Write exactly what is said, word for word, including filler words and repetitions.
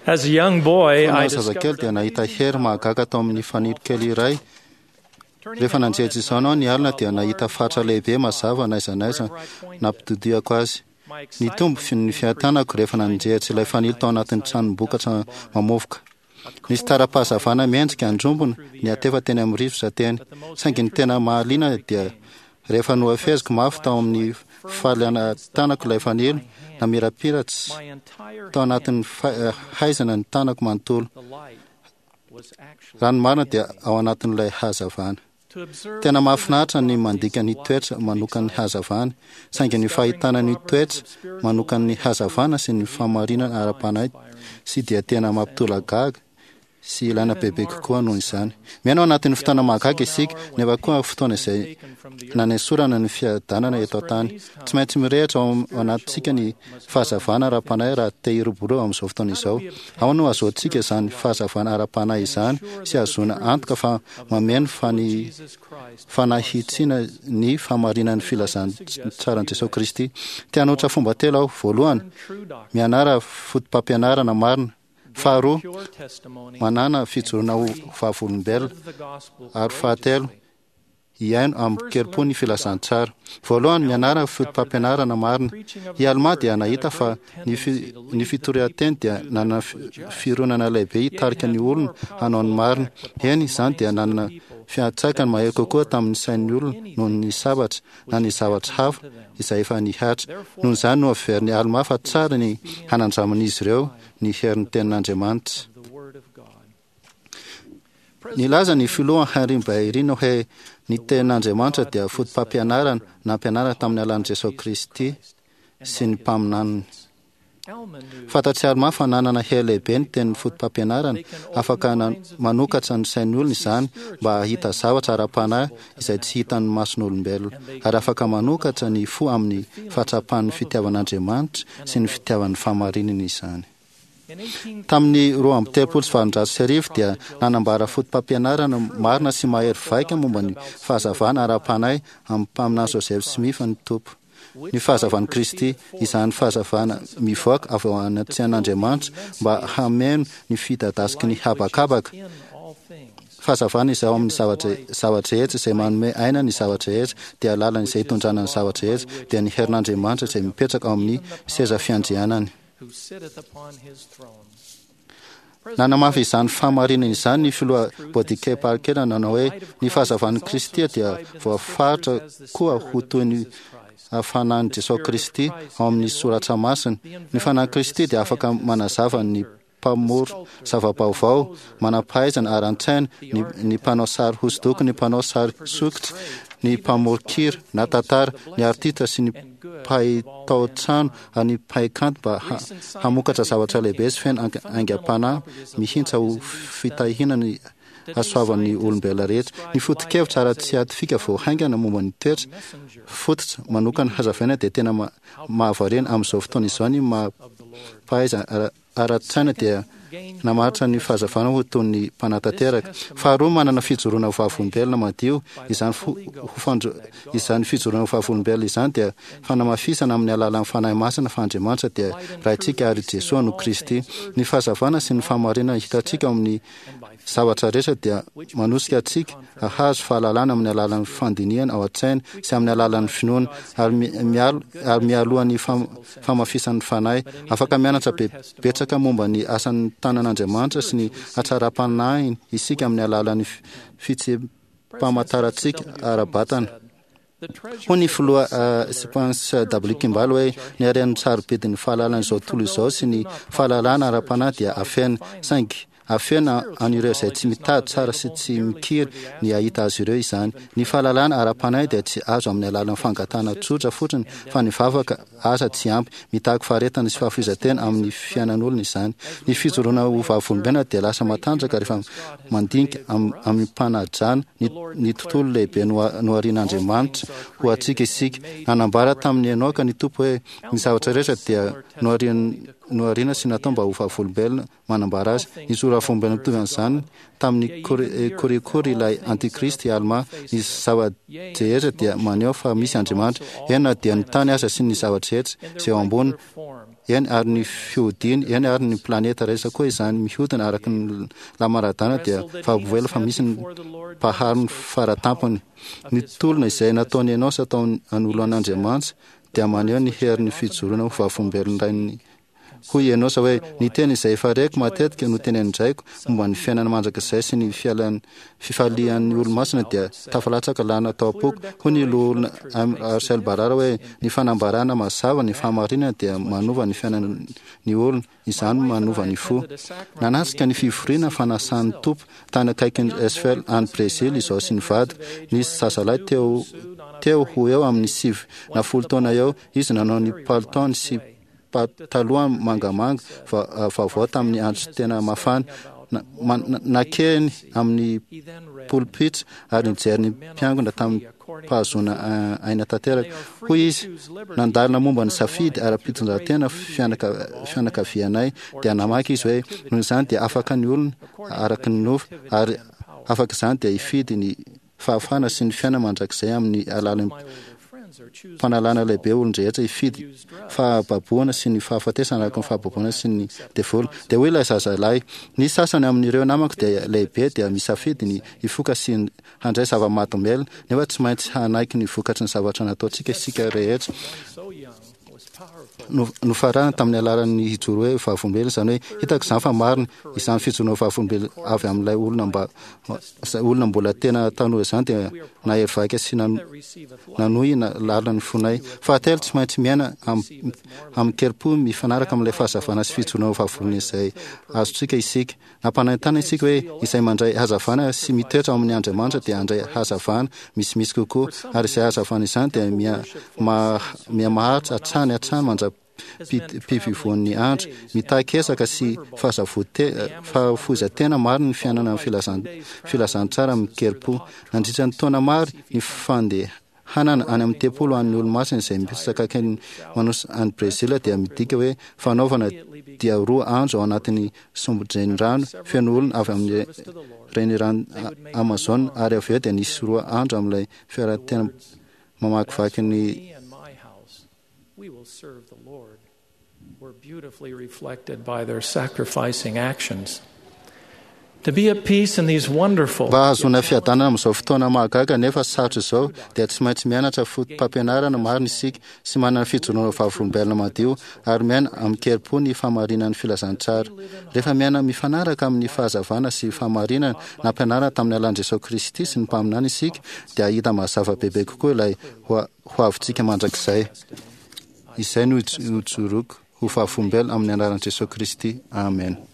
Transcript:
As a young boy, Fony I aho zazakely discovered dia nahita hery mahagaga tao amin'ny fanilo kely iray. Rehefa nanjejo izany aho ny alina dia nahita fatra lehibe mazava n'aiza n'aiza nampitodihako azy. Nitombo fi- ny fiatanako rehefa nanjehatra ilay fanilo tao anatin'ny tranom-bokatra mamovoka. Nisy tara-pahazavana miendrika andrombona niatefa teny amin'ny rivotra teny. Saingy ny tena mahaliana dia rehefa nohafeziko mafy tao amin'ny faliana tanako ilay fanilo, namirapiratsy my entire tao anatin'ny fa- eh, haizana ny tanako manontolo. the light was actually Raha ny marina dia ao anatin'ilay hazavana. to observe Tena mahafinaritra ny mandika ny toetra manokan'ny hazavana, saingy ny fahitana ny toetra manokan'ny hazavana sy ny fahamarinana ara-panahy sy dia tena mampitolagaga sy ilaina bebe kokoa noho izany. Miaina ao anatin'ny fotoana mahagaga isika, nefa koa fotoana izay nanesorana ny fiadanana eto an-tany. Tsy maintsy mirehitra ao am- ao anatintsika ny fahazavana ara-panahy raha te hiroborobo amin'izao fotoana izao. Ao no ahazoantsika izany fahazavana ara-panahy izany sy ahazoana antoka fa mameno fani Jesus Christ fanahitsiana ny fahamarinan'ny filazantsaran'i Jesosy Kristy. Te hanoatra fomba telo aho. Voalohany, true doctrine, mianara foto-pampianarana marina. Faharoa, pure testimony, manana fijoroana ho vavolombelona. live the gospel Ary fahatelo, hiaino amin-kerim-po ny filazantsara. Voalohany, mianara foto-pampianarana marina. I Alma dia nahita fa ny, fi, ny fitorian-teny dia nanana fi- fironana lehibe hitarika ny olona hanao ny marina. Eny, izany dia nanana fiantraikany mahery kokoa tamin'ny sain'ny olona noho ny sabatra na ny zavatra hafa izay efa nihatra. Noho izany no averin'i Alma fa tsara ny hanandraman'izy ireo ny herin'ny tenin'Andriamanitra. of the Word of God. Nilaza ny filoha Henry Bairino hoe ny tenin'Andriamanitra dia foto-pampianarana nampianarana tamin'ny alalan'i Jesosy Kristy sy ny mpaminaniny. Alma knew Fantatr'i Alma fa nanana hery lehibe ny tenin'ny foto-pampianarana, afaka na- manokatra ny sain'ny olona izany mba hahita zavatra ara-panahy izay tsy hitan'ny mason'olombelona, ary afaka manokatra ny fo amin'ny fahatsapan'ny fitiavan'Andriamanitra sy ny fitiavan'ny fahamarinana izany. in eighteen Tamin'ny roa amby telopolo sy valonjato sy arivo dia nanambara foto-pampianarana marina sy mahery vaika momba ny fahazavana ara-panahy amin'ny mpaminany Joseph Smith ny Tompo. Ny fahazavan'i Kristy, izany fahazavana mivoaka avy ao anatin'Andriamanitra mba hameno ny fidadasiky ny habakabaka. in all things Fahazavana izay ao amin'ny zavatra zavatra rehetra izay manome aina ny zavatra rehetra dia lalana izay hitondrana ny zavatra rehetra dia ny herin'Andriamanitra izay mipetraka ao amin'ny seza fiandrianany. who sitteth upon his throne. Nanamafy izany fahamarinana izany ny filoha Bodike Parker nanao hoe ny fahazavan'i Kristy dia voafaritra koa ho toy ny fanahin'i Jesosy Kristy ao amin'ny soratra masina. Ny fanahin'i Kristy dia afaka manazava ny mpamoro zava-baovao, manam-pahaizana ara-tsaina, ny, ny mpanao sary hosodoko, ny mpanao sary sokitra, ny mpamoron-kira na tantara, ny artista sy ny mpahay tao-trano ary ny mpahay kanto mba ha- hamokatra zavatra lehibe sy feno ang- aingam-panahy mihitsy ho fitahiana ny hasoavan'ny olombelona rehetra. Ny foto-kevitra ara-tsiantifika vao haingana momba ny toetra fototra manokana hazavaina dia tena ma- mahavariana amin'izao fotoana izao ny maha-mpahaiza ara- ara-tsaina dia namaritra ny fahazavana ho toy ny mpanatanteraka. Faharoa, manana fijoroana ho vavolombelona madio. Izany fo- ho fandro- izany fijoroana ho vavolombelona izany dia fanamafisana amin'ny alalan'ny Fanahy Masina fa Andriamanitra dia Raintsika ary Jesoa no Kristy. Ny fahazavana sy ny fahamarinana hitantsika ao amin'ny zavatra rehetra dia manosika antsika hahazo fahalalana amin'ny alalan'ny fandinihana ao an-tsaina sy amin'ny alalan'ny finoana ary mi- mialo- ary mialoha ny fam- famafisan'ny fanahy. Afaka mianatra be- betsaka momba ny asan'ny tanan'Andriamanitra sy ny hatsaram-panahiny isika amin'ny alalan'ny fi- fitsi-pamantarantsika ara-batana. Hoy ny filoha uh, Spence W. Kimball hoe ny haren'ny sarobidin'ny fahalalana izao tontolo izao sy ny fahalalana ara-panahy dia afena, saingy afena an'ireo izay tsy mitady tsara sy tsy mikiry ny hahita azy ireo izany. Ny fahalalana ara-panahy dia tsy azo amin'ny alalan'ny fangatahana tsotra fotsiny fa ny vavaka aza tsy ampy, mitaky faharetana sy fahafoizan-tena amin'ny fiainan'olona izany. Ny fijoroana ho vavolombelona dia lasa matanjaka rehefa mandinika am- amim-panajana ny, ny tontolo lehibe noa- noharian'Andriamanitra ho antsika isika. Nanambara tamin'i Enoka ny Tompo hoe ny zavatra rehetra dia noharian- nohariana sy natao mba ho vavolombelona manambara azy. Ny vavolombelona mitovy amin'izany tamin'ny Korikory ilay antikristy Alma. Ny zava-drehetra dia maneho fa misy Andriamanitra. Eny na dia ny tany aza sy ny zavatra rehetra izay eo ambony Form eny ary ny fihodiny, eny ary ny planeta rehetra koa izany mihodina araka ny lamaradana dia vavolombelona fa misy ny mpahary ny faratampony. Ny tolona izay nataony Enosa tao anoloan'Andriamanitra dia maneho ny herin'ny fijoroana ho vavolombelon-drainy. Hoy Enosa hoe, ny teny izay efa reko matetika no tenenin-draiko momba ny fiainana mandrakizay sy ny fialan- fifalian'ny olo-masina dia tafalatsaka lana tao am-poko. Hoy ny loholona Arcel Barara hoe, ny fanambarana mazava ny fahamarinana dia manova ny fiainan'ny olona, izany manova ny fo. Nanatrika ny fivoriana fanasan'ny Tompo tany akaikin'ny Esfel any Brésil izao sy ny vadiko. Nisy zazalahy teo teo ho eo amin'ny sivy na folo taona eo, izy nanao ny palitaony sy pataloha mangamanga vaovao tamin'ny andro tena mafana. Nakeny amin'ny polipitra ary nijery ny mpiangona tamin'ny pahazoana aina tanteraka. Hoy izy, nandalina momba ny safidy ara-pitondran-tena fianakavianay, dia namaky izy hoe, noho izany dia afaka ny olona araka ny nofo, ary afaka izany dia hifidy ny fahafahana sy ny fiainana mandrakizay amin'ny alalan'ny fanalana lehibe olon-drehetra hifidy fahababoana sy ny fahafatesana araka ny fahababoana sy ny devoly. Dia hoy ilay zazalahy, ny sasany amin'ireo namako dia lehibe dia misafidy ny hifoka sy handray zava-mahadomelina, nefa tsy maintsy hanaiky ny vokatry ny zavatra nataontsika isika rehetra. Nofarana tamin'ny alalan'ny hijoro hoe vavolombelona, izany hoe hitako izany fa marina izany fijoroana vavolombelona avy amin'ilay olona mba olona mbola tena tanora izany dia nahery vaika sy nanohina lalina ny fonay. Fahatelo, tsy maintsy miaina amin-kerim-po mifanaraka amin'ilay fahazavana sy fijoroana vavolombelona izay azontsika isika. Nampanantena isika hoe izay mandray hazavana sy mitoetra ao amin'ny Andriamanitra dia handray hazavana misimisy kokoa, ary izay hazavana izany dia miha-maharitra hatrany hatrany mandra-pivoan'ny andro. Mitaky ezaka sy fahafoizan-tena marina ny fiainana filazantsara amin-kerim-po. Nandritra ny taona maro, ny fandehanana any amin'ny tempoly ho an'ny olo-masina izay mipetraka akaikin'ny Manaus any Brezila dia midika hoe fanaovana dia roa andro ao anatin'ny sombin-drenirano feno olona avy amin'ny renirano Amazon, ary avy eo dia nisy roa andro amin'ilay fiara tena mamakivaky ny were beautifully reflected by their sacrificing actions. To be at peace in these wonderful Mba hahazoana fiadanana amin'izao fotoana mahagaga nefa sarotra izao dia tsy maintsy mianatra fotopampianarana marina isika sy manana fijoroana vavolombelona madio ary miaina amin-kerim-po ny fahamarinan'ny filazantsara. Rehefa miaina mifanaraka amin'ny fahazavana sy fahamarinana nampianarina tamin'ny alalan'i Jesosy Kristy sy ny mpaminany isika dia hahita mazava bebe kokoa ilay ho avintsika mandrakizay. Izay no hijoroako ho vavolombelona amin'ny anaran'i Jesosy Kristy. Amen.